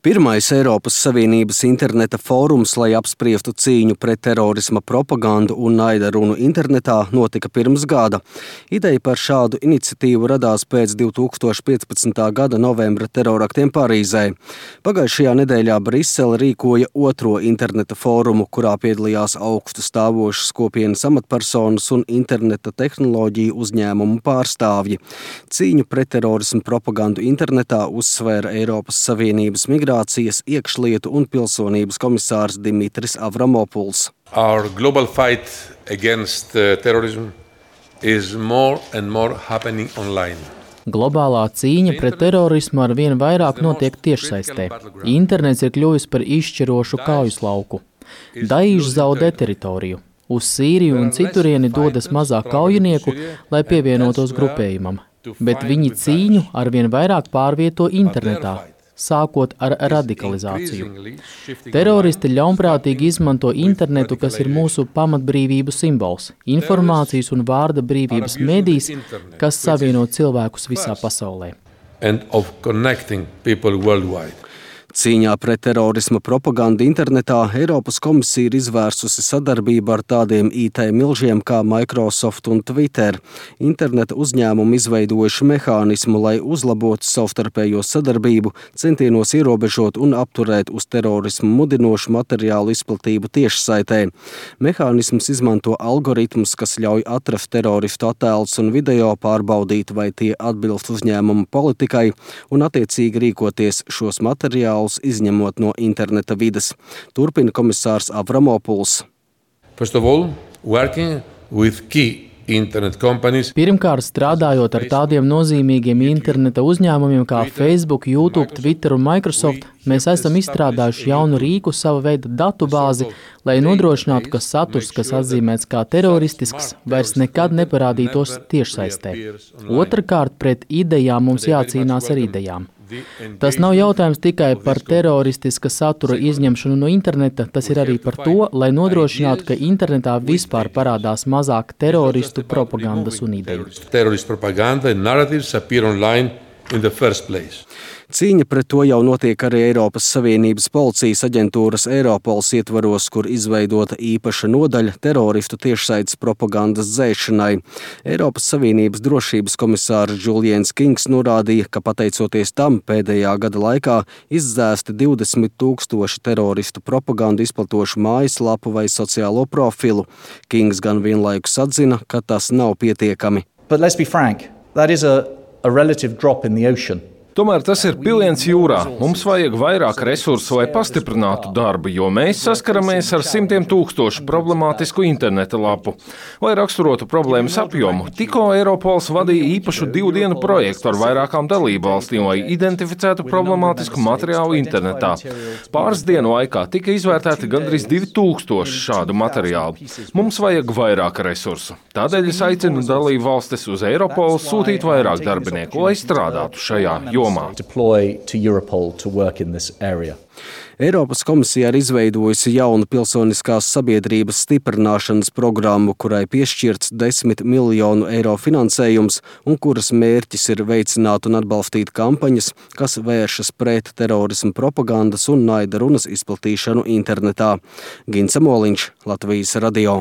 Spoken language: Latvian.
Pirmais Eiropas Savienības interneta fórums, lai apspriestu cīņu pret terorisma propagandu un naida runu internetā, notika pirms gada. Ideja par šādu iniciatīvu radās pēc 2015. gada novembra teroraktiem Parīzē. Pagājušajā nedēļā Brisele rīkoja otro interneta fórumu, kurā piedalījās augstu stāvošas kopienas amatpersonas un interneta tehnoloģiju uzņēmumu pārstāvji. Cīņu pret terorisma propagandu internetā uzsvēra Eiropas Savienības migrācijas, iekšlietu un pilsonības komisārs Dimitris Avramopuls. Our global fight against terrorism is more and more happening online. Globālā cīņa pret terorismu ar vien vairāk notiek tiešsaistē. Internets ir kļuvis par izšķirošu kaujas lauku. Daīš zaudē teritoriju. Uz Sīriju un citurieni dodas mazāk kaujinieku, lai pievienotos grupējumam. Bet viņi cīņu ar vien vairāk pārvieto internetā, sākot ar radikalizāciju. Teroristi ļaunprātīgi izmanto internetu, kas ir mūsu pamatbrīvību simbols, informācijas un vārda brīvības medijs, kas savieno cilvēkus visā pasaulē. Cīņā pret terorisma propagandu internetā Eiropas komisija ir izvērsusi sadarbību ar tādiem IT milžiem kā Microsoft un Twitter. Interneta uzņēmumi izveidojuši mehānismu, lai uzlabotu savstarpējo sadarbību, centienos ierobežot un apturēt uz terorismu mudinošu materiālu izplatību tiešsaitē. Mehānisms izmanto algoritmus, kas ļauj atrast teroristu attēlus un video, pārbaudīt, vai tie atbilst uzņēmuma politikai un attiecīgi rīkoties šos materiālus izņemot no interneta vides. Turpina komisārs Avramopuls. Pirmkārt, strādājot ar tādiem nozīmīgiem interneta uzņēmumiem kā Facebook, YouTube, Twitter un Microsoft, mēs esam izstrādājuši jaunu rīku, sava veida datubāzi, lai nodrošinātu, ka saturs, kas atzīmēts kā teroristisks, vairs nekad neparādītos tiešsaistē. Otrakārt, pret idejām mums jācīnās ar idejām. Tas nav jautājums tikai par teroristiska satura izņemšanu no interneta, tas ir arī par to, lai nodrošinātu, ka internetā vispār parādās mazāk teroristu propagandas un ideju. Cīņa pret to jau notiek arī Eiropas Savienības policijas aģentūras Eiropols ietvaros, kur izveidota īpaša nodaļa teroristu tiešsaites propagandas dzēšanai. Eiropas Savienības drošības komisārs Julians Kings norādīja, ka pateicoties tam pēdējā gada laikā izdzēsti 20,000 teroristu propagandu izplatošu mājaslapu vai sociālo profilu. Kings gan vienlaikus atzina, ka tas nav pietiekami. But let's be frank, that is a relative drop in the ocean. Tomēr tas ir piliens jūrā. Mums vajag vairāk resursu, lai pastiprinātu darbu, jo mēs saskaramies ar simtiem tūkstošu problemātisku interneta lapu. Lai raksturotu problēmas apjomu, tikko Eiropols vadīja īpašu 2 dienu projektu ar vairākām dalību valstīm, lai identificētu problemātisku materiālu internetā. Pāris dienu laikā tika izvērtēti gandrīz 2000 šādu materiālu. Mums vajag vairāk resursu. Tādēļ es aicinu dalību valstis uz Eiropolu sūtīt vairāk darbinieku, lai strādātu šajā jomā. Eiropas komisija ir izveidojusi jaunu pilsoniskās sabiedrības stiprināšanas programmu, kurai piešķirts 10 miljonu eiro finansējums un kuras mērķis ir veicināt un atbalstīt kampaņas, kas vēršas pret terorismu propagandas un naida runas izplatīšanu internetā. Gints Moliņš, Latvijas radio.